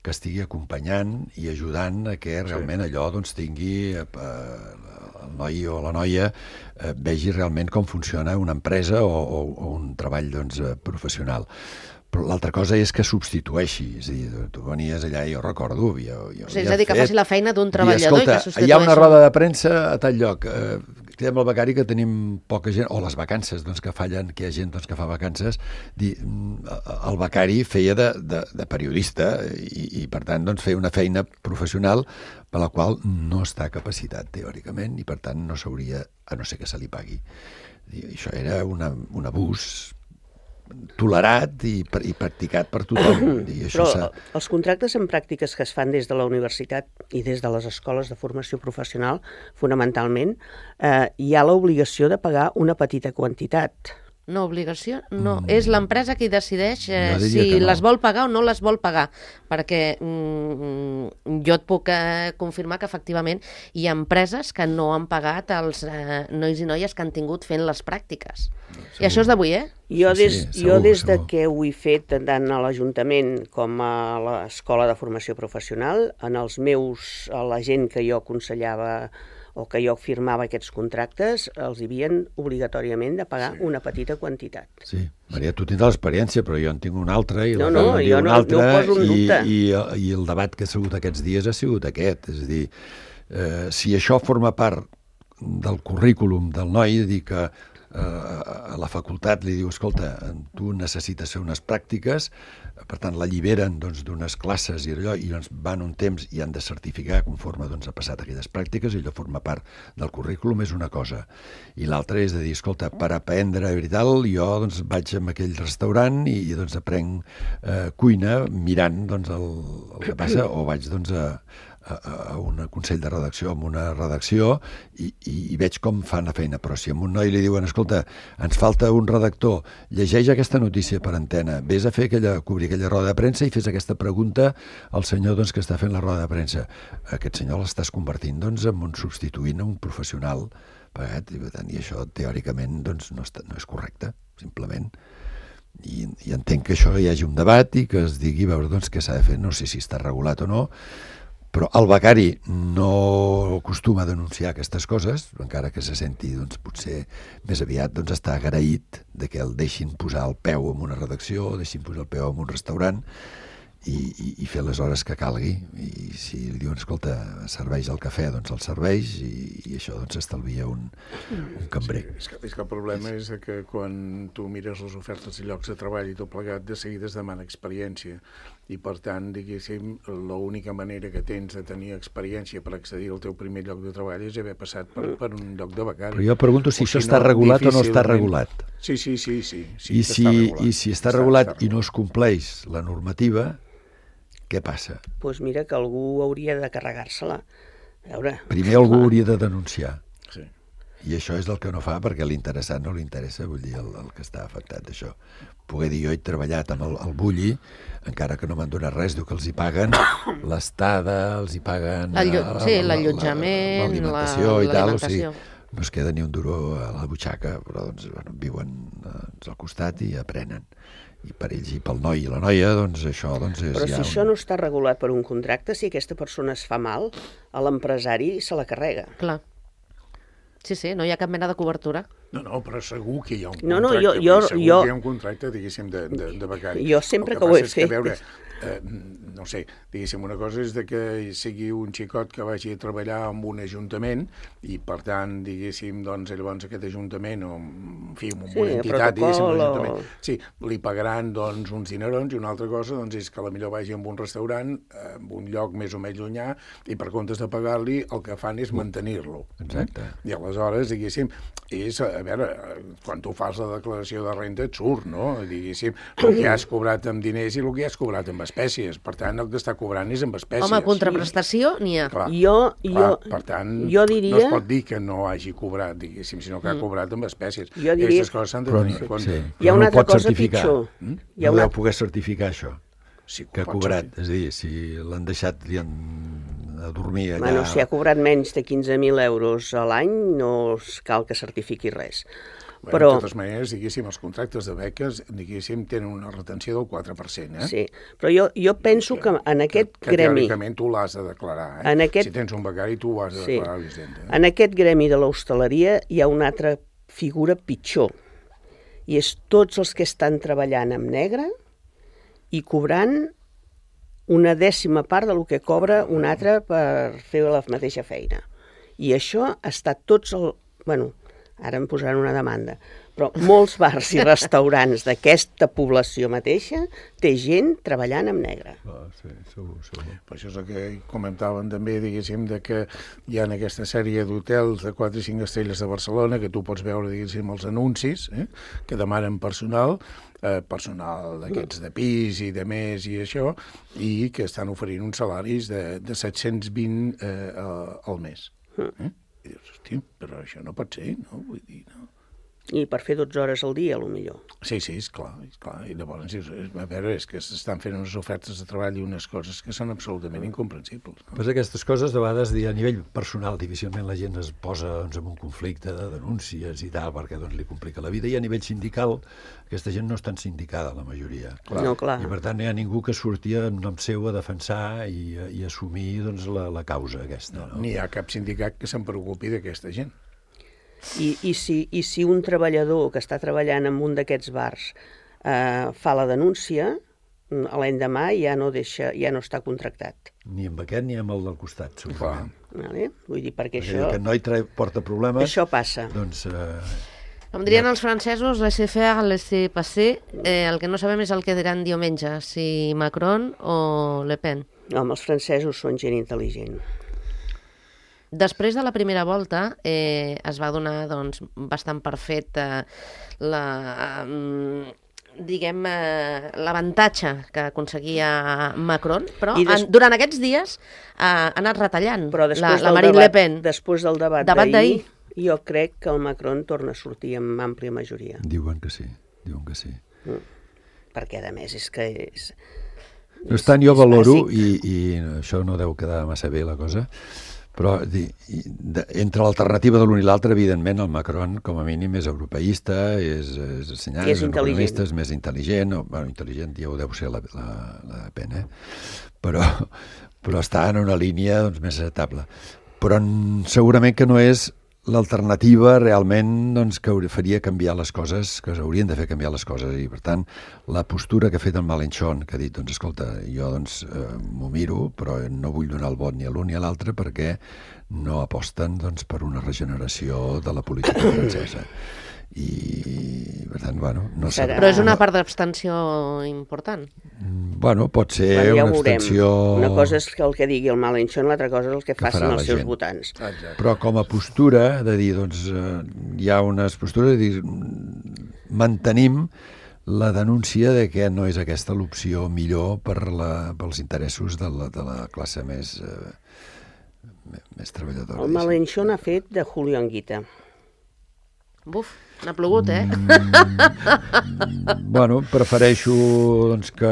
que estigui acompanyant i ajudant a que realment sí. allò doncs, tingui eh, el noi o la noia eh, vegi realment com funciona una empresa o, o, o un treball doncs, professional. Però l'altra cosa és que substitueixi. És a dir, tu venies allà i jo recordo... Jo, jo o sigui, és a dir, que fet, faci la feina d'un treballador i, escolta, i que substitueixi. Hi ha una roda de premsa a tal lloc. Eh, cridem el becari que tenim poca gent, o les vacances doncs, que fallen, que hi ha gent doncs, que fa vacances. Dir, el becari feia de, de, de periodista i, i per tant doncs, feia una feina professional per la qual no està capacitat teòricament i per tant no s'hauria, a no ser que se li pagui. I això era una, un abús tolerat i, i practicat per tothom. I això Però els contractes en pràctiques que es fan des de la universitat i des de les escoles de formació professional, fonamentalment, eh, hi ha l'obligació de pagar una petita quantitat. No, obligació no. Mm. És l'empresa qui decideix eh, si no. les vol pagar o no les vol pagar, perquè mm, jo et puc eh, confirmar que efectivament hi ha empreses que no han pagat els eh, nois i noies que han tingut fent les pràctiques. Segur. I això és d'avui, eh? Jo des, sí, segur, jo des de segur. que ho he fet tant a l'Ajuntament com a l'Escola de Formació Professional, en els meus, a la gent que jo aconsellava o que jo firmava aquests contractes, els hi havien obligatòriament de pagar sí. una petita quantitat. Sí, Maria, tu tindràs l'experiència, però jo en tinc una altra i no, la no, no, jo no, altra, no ho poso en dubte. I, i, i el debat que ha sigut aquests dies ha sigut aquest, és a dir, eh, si això forma part del currículum del noi, dir que a la facultat li diu, escolta, tu necessites fer unes pràctiques, per tant l'alliberen doncs, d'unes classes i allò, i doncs, van un temps i han de certificar conforme doncs, ha passat aquelles pràctiques, i allò forma part del currículum, és una cosa. I l'altra és de dir, escolta, per aprendre i tal, jo doncs, vaig a aquell restaurant i, i doncs, aprenc eh, cuina mirant doncs, el, el que passa, o vaig doncs, a, a, a un consell de redacció, amb una redacció, i, i, i veig com fan la feina. Però si a un noi li diuen, escolta, ens falta un redactor, llegeix aquesta notícia per antena, vés a fer aquella, cobrir aquella roda de premsa i fes aquesta pregunta al senyor doncs, que està fent la roda de premsa. Aquest senyor l'estàs convertint doncs, en un substituint a un professional pagat, i, i això teòricament doncs, no, està, no és correcte, simplement. I, i entenc que això hi hagi un debat i que es digui veure doncs, què s'ha de fer, no sé si està regulat o no, però el becari no acostuma a denunciar aquestes coses, encara que se senti doncs, potser més aviat doncs, està agraït de que el deixin posar el peu en una redacció, deixin posar el peu en un restaurant i, i, i fer les hores que calgui, i si li diuen, escolta, serveix el cafè, doncs el serveix, i, i això doncs estalvia un, un cambrer. Sí, és, que, és que el problema és que quan tu mires les ofertes de llocs de treball i tot plegat, de seguida es demana experiència, i per tant, diguéssim, l'única manera que tens de tenir experiència per accedir al teu primer lloc de treball és haver passat per, per un lloc de becari. Però jo pregunto si, si això no, està regulat o no està regulat. Sí, sí, sí, sí, sí I, si, regulat. I si està, està regulat està, està i no es compleix la normativa, què passa? Doncs pues mira que algú hauria de carregar-se-la. A veure... Primer algú clar. hauria de denunciar. Sí. I això és el que no fa perquè l'interessat no li interessa, vull dir, el, el que està afectat d'això. Poder dir, jo he treballat amb el, el Bulli, encara que no m'han donat res, diu que els hi paguen l'estada, els hi paguen... Sí, l'allotjament, l'alimentació i tal, o sigui, no es queda ni un duro a la butxaca, però doncs, bueno, viuen doncs, al costat i aprenen. I per ells i pel noi i la noia, doncs això doncs és Però ja si un... això no està regulat per un contracte, si aquesta persona es fa mal, a l'empresari se la carrega. Clar. Sí, sí, no hi ha cap mena de cobertura. No, no, però segur que hi ha un no, contracte. No, jo, jo, segur jo... que hi ha un contracte, diguéssim, de, de, de becari. Jo sempre que, que ho he és fet... Que, veure, eh, no sé, diguéssim, una cosa és de que sigui un xicot que vagi a treballar en un ajuntament i, per tant, diguéssim, doncs, llavors aquest ajuntament, o, en fi, amb sí, una entitat, diguéssim, un ajuntament, o... sí, li pagaran, doncs, uns dinerons, i una altra cosa, doncs, és que potser vagi a un restaurant, en un lloc més o menys llunyà, i per comptes de pagar-li, el que fan és mantenir-lo. Exacte. I aleshores, diguéssim, és, a veure, quan tu fas la declaració de renda et surt, no? Diguéssim, el que has cobrat amb diners i el que has cobrat amb espècies. Per tant, el que està cobrant és amb espècies. Home, contraprestació n'hi ha. Clar, jo, jo, clar, per tant, jo diria... no es pot dir que no hagi cobrat, diguéssim, sinó que ha cobrat amb espècies. Jo diria... Aquestes coses s'han de tenir en compte. Sí, hi ha una altra cosa certificar. pitjor. Mm? Hi ha no una... deu poder certificar això, Sí, que ha cobrat. És a dir, si l'han deixat li han a dormir allà... Bueno, si ha cobrat menys de quinze mil euros a l'any, no cal que certifiqui res. Bueno, però... De totes maneres, diguéssim, els contractes de beques, diguéssim, tenen una retenció del quatre per cent, eh? Sí, però jo, jo penso que, que en aquest que, que gremi... Que teòricament tu l'has de declarar, eh? En aquest... Si tens un becari, tu ho has de sí. declarar a l'Hisenda. Eh? En aquest gremi de l'hostaleria hi ha una altra figura pitjor, i és tots els que estan treballant amb negre i cobrant una dècima part del que cobra un altre per fer la mateixa feina. I això està tots... El... Bueno, ara em posaran una demanda, però molts bars i restaurants d'aquesta població mateixa té gent treballant amb negre. Ah, sí, segur, segur. Per això és el que comentàvem també, diguéssim, de que hi ha aquesta sèrie d'hotels de quatre i cinc estrelles de Barcelona que tu pots veure, diguéssim, els anuncis, eh, que demanen personal, eh, personal d'aquests de pis i de més i això, i que estan oferint uns salaris de, de set-cents vint eh, al mes. Eh? I dius, hosti, però això no pot ser, no? Vull dir, no? I per fer dotze hores al dia, potser. Sí, sí, és clar, és clar. I llavors, a veure, és que s'estan fent unes ofertes de treball i unes coses que són absolutament incomprensibles. No? Pues aquestes coses, de vegades, a nivell personal, difícilment la gent es posa doncs, en un conflicte de denúncies i tal, perquè doncs, li complica la vida, i a nivell sindical, aquesta gent no és tan sindicada, la majoria. Clar. No, clar. I per tant, no hi ha ningú que surti en nom seu a defensar i, i assumir doncs, la, la causa aquesta. No? No, ni hi ha cap sindicat que se'n preocupi d'aquesta gent. I, i, si, I si un treballador que està treballant en un d'aquests bars eh, fa la denúncia, l'endemà ja no deixa, ja no està contractat. Ni amb aquest ni amb el del costat, segurament. Vale? Vull dir, perquè, perquè això... aquest noi tra... porta problemes... Això passa. Doncs... Eh... Com dirien els francesos, laissez-faire, laissez-passer, eh, el que no sabem és el que diran diumenge, si Macron o Le Pen. No, els francesos són gent intel·ligent. Després de la primera volta eh, es va donar doncs, bastant per fet eh, la, eh, diguem, eh, l'avantatge que aconseguia Macron, però I des... en, durant aquests dies eh, ha anat retallant però la, la del Marine debat, Le Pen. Després del debat, debat d'ahir, jo crec que el Macron torna a sortir amb àmplia majoria. Diuen que sí, diuen que sí. Mm. Perquè, a més, és que és... No tant, jo valoro, i, i això no deu quedar massa bé la cosa, però di, de, entre l'alternativa de l'un i l'altre, evidentment, el Macron, com a mínim, és europeista, és, és assenyat, és, és intel·ligent. és més intel·ligent, o, bueno, intel·ligent ja ho deu ser la, la, la pena, eh? però, però està en una línia doncs, més acceptable. Però segurament que no és l'alternativa realment doncs, que faria canviar les coses, que haurien de fer canviar les coses, i per tant la postura que ha fet en Mélenchon, que ha dit, doncs escolta, jo doncs eh, m'ho miro, però no vull donar el vot ni a l'un ni a l'altre perquè no aposten doncs, per una regeneració de la política francesa. I per tant, bueno, no sé. Però és una part d'abstenció important. Bueno, pot ser bueno, ja una abstenció... Una cosa és el que digui el Mélenchon, l'altra cosa és el que, que facin els seus gent. votants. Exacte. Però com a postura, de dir, doncs, eh, hi ha unes postures de dir, mantenim la denúncia de que no és aquesta l'opció millor per la, pels interessos de la, de la classe més, eh, més treballadora. El Mélenchon ha fet de Julio Anguita. Buf, n'ha plogut, eh? Mm, bueno, prefereixo doncs, que,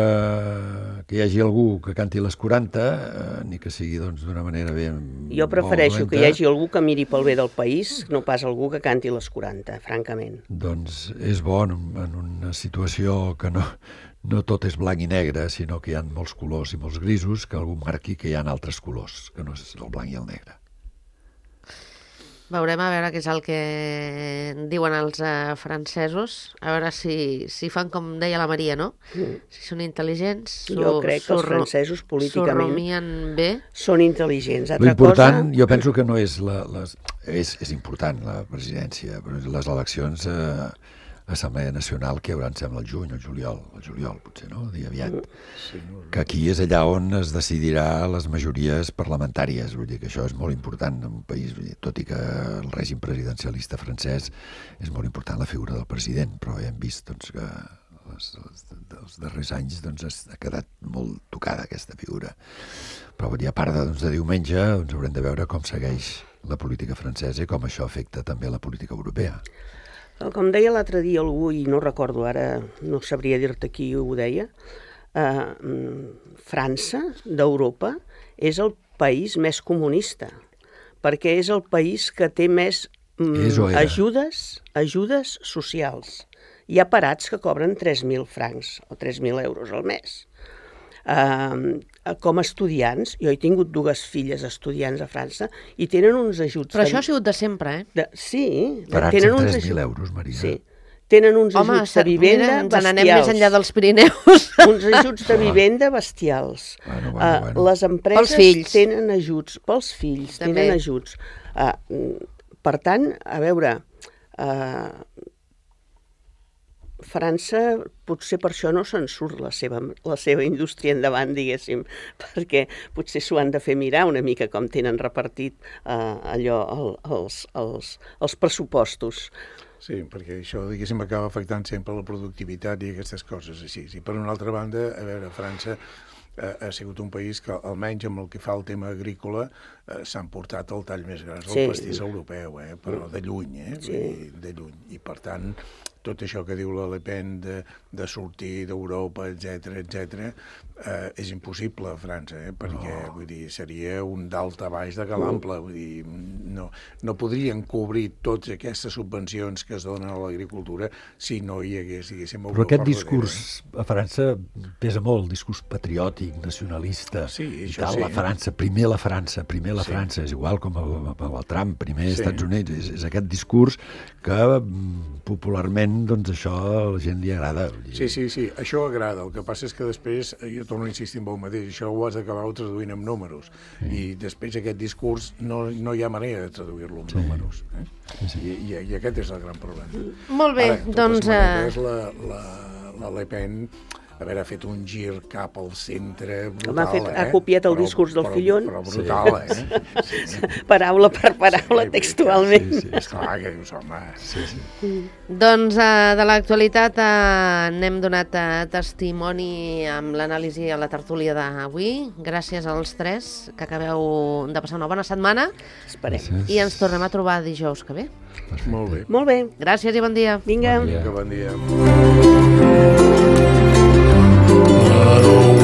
que hi hagi algú que canti les quaranta, eh, ni que sigui doncs, d'una manera ben... Jo prefereixo que hi hagi algú que miri pel bé del país, no pas algú que canti les quaranta, francament. Doncs és bo en, en una situació que no, no tot és blanc i negre, sinó que hi ha molts colors i molts grisos, que algú marqui que hi ha altres colors, que no és el blanc i el negre. Veurem a veure què és el que diuen els uh, francesos, a veure si, si fan com deia la Maria, no? Mm. Si són intel·ligents, jo crec que els francesos políticament bé. Són intel·ligents. L'important, cosa... jo penso que no és la... Les, és, és important la presidència, però les eleccions a eh, l'Assemblea Nacional que hi haurà, em sembla, el juny, el juliol, el juliol potser, no? El dia aviat. Sí, no, no. Que aquí és allà on es decidirà les majories parlamentàries, vull dir que això és molt important en un país, vull dir, tot i que el règim presidencialista francès és molt important la figura del president, però hem vist doncs, que els, els darrers anys doncs, ha quedat molt tocada aquesta figura. Però vull dir, a part de, doncs, de diumenge doncs, haurem de veure com segueix la política francesa i com això afecta també la política europea. Com deia l'altre dia algú, i no recordo ara, no sabria dir-te qui ho deia, eh, França, d'Europa, és el país més comunista, perquè és el país que té més mm, ajudes, ajudes socials. Hi ha parats que cobren tres mil francs o tres mil euros al mes. Uh, com a estudiants, jo he tingut dues filles estudiants a França i tenen uns ajuts... Però això ha sigut de sempre, eh? De, sí. Parats tenen en uns tres mil euros, Maria. Sí. Tenen uns Home, ajuts de vivenda mira, ens bestials. n'anem més enllà dels Pirineus. Uns ajuts de vivenda bestials. Bueno, bueno, bueno. Uh, les empreses tenen ajuts, pels fills També. tenen ajuts. Uh, per tant, a veure... Uh, França potser per això no se'n surt la seva, la seva indústria endavant, diguéssim, perquè potser s'ho han de fer mirar una mica com tenen repartit eh, allò, el, els, els, els pressupostos. Sí, perquè això, diguéssim, acaba afectant sempre la productivitat i aquestes coses així. I per una altra banda, a veure, França eh, ha sigut un país que, almenys amb el que fa el tema agrícola, eh, s'han portat el tall més gras del sí. pastís europeu, eh, però de lluny, eh, sí. de lluny. I per tant, tot això que diu la Le Pen de, de sortir d'Europa, etcètera, etcètera, eh, és impossible a França, eh, perquè no. vull dir, seria un dalt a baix de calample, vull dir, no, no podrien cobrir totes aquestes subvencions que es donen a l'agricultura si no hi hagués, diguéssim, Europa. Però aquest discurs a França pesa molt, el discurs patriòtic, nacionalista, sí, i tal, sí. la França, primer la França, primer la sí. França, és igual com el, el Trump, primer sí. Estats Units, és, és aquest discurs que popularment doncs això a la gent li agrada. Sí, sí, sí, això agrada. El que passa és que després, jo torno a insistir en el mateix, això ho has d'acabar traduint en números. Sí. I després aquest discurs no, no hi ha manera de traduir-lo en sí. números. Eh? Sí. I, i, I aquest és el gran problema. Molt bé, Ara, doncs... Ara, la, la, la Le Pen a veure, ha fet un gir cap al centre brutal, Home, ha fet- eh? ha copiat el Però- discurs del però- Fillon. Però brutal, eh? Sí, sí. Paraula per paraula, Sí, textualment. Sí, sí, Esclar que dius, home... sí, sí. Doncs eh, de l'actualitat eh, n'hem donat eh, testimoni amb l'anàlisi a la tertúlia d'avui. Gràcies als tres, que acabeu de passar una bona setmana Esperem. Gràcies. i ens tornem a trobar dijous que ve. Molt bé. Molt bé. Gràcies i bon dia. Vinga. Bon dia. Que bon dia. I don't